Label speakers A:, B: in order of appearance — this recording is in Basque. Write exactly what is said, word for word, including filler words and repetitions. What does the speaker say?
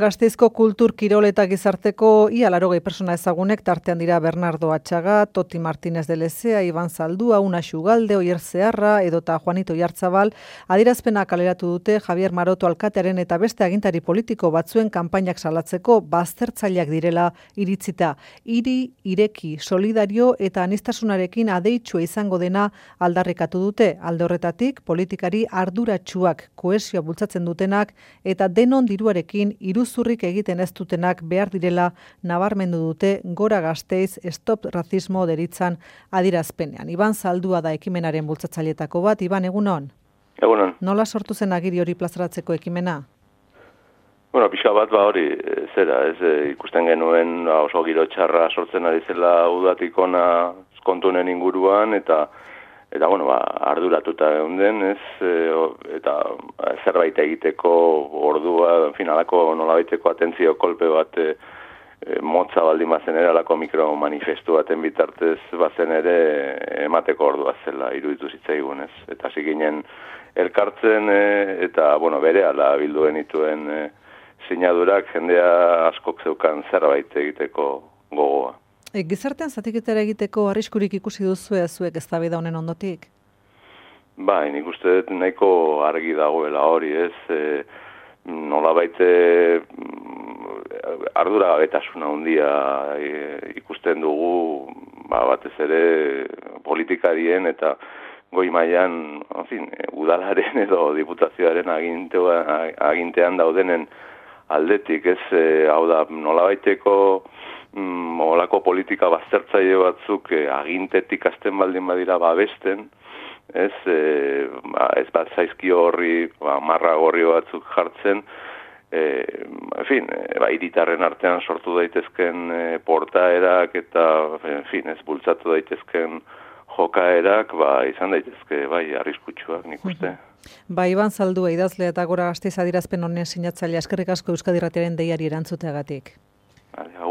A: Gasteizko kultur, kirol eta gizarteko ia laurogei persona ezagunek tartean dira Bernardo Atxaga, Toti Martínez de Lezea, Iban Zaldua, Una Xugalde, Oier Zeharra edota Juanito Oiartzabal adierazpena kaleratu dute Javier Maroto alkatearen eta beste agintari politiko batzuen kanpainak salatzeko baztertzaileak direla iritzita. Hiri, ireki, solidario eta aniztasunarekin adeitsua izango dena aldarrikatu dute. Alde horretatik, politikari arduratsuak, kohesioa bultzatzen dutenak eta denon diruarekin iruz zurrik egiten ez dutenak behar direla nabarmendu dute Gora Gasteiz Stop Racismo deritzan adierazpenean. Iban Zaldua da ekimenaren bultzatzaileetako bat. Iban, egunon?
B: Egunon.
A: Nola sortu zen agiri hori plazaratzeko ekimena?
B: Bueno, pixka bat ba hori, zera, ez ikusten genuen ba, oso giro txarra sortzen ari zela udatik ona kontunen inguruan, eta Eta, bueno, ba, arduratuta geunden, ez, e, eta zerbait egiteko ordua, finalako nolabaiteko atentzio kolpe bat e, e, motza baldin bazen ere, alako mikromanifestu baten bitartez bazen ere emateko ordua zela, iruditu zitzaigun, ez. Eta hasi ginen elkartzen, e, eta, bueno, bere ala bilduen ituen e, sinadurak jendea askok zeukan zerbait egiteko gogoa.
A: E, gizartean zatiketara egiteko arriskurik ikusi duzu zuek eztabaida honen ondotik?
B: Bai, nik uste dut nahiko argi dagoela hori, ez? E, nolabait ardura gabetasuna handia e, ikusten dugu, ba, batez ere politikarien eta goi mailan, en fin, udalaren edo diputazioaren agintean daudenen aldetik, ez? E, hau da, nolabaiteko Mm, olako politika baztertzaile batzuk eh, agintetik azten baldin badira babesten, ez, eh, ba, ez bat zaizkio horri ba, marra gorri batzuk jartzen, eh, en fin, eh, ba, hiritarren artean sortu daitezken eh, portaerak eta, en fin, ez bultzatu daitezken jokaerak, ba, izan daitezke, bai, arriskutsuak nik uste.
A: Ba, Iban Zaldua idazle eta Gora Gasteiz adierazpen honen sinatzailea, eskerrik asko Euskadi Irratiaren deiari erantzuteagatik.
B: Vale,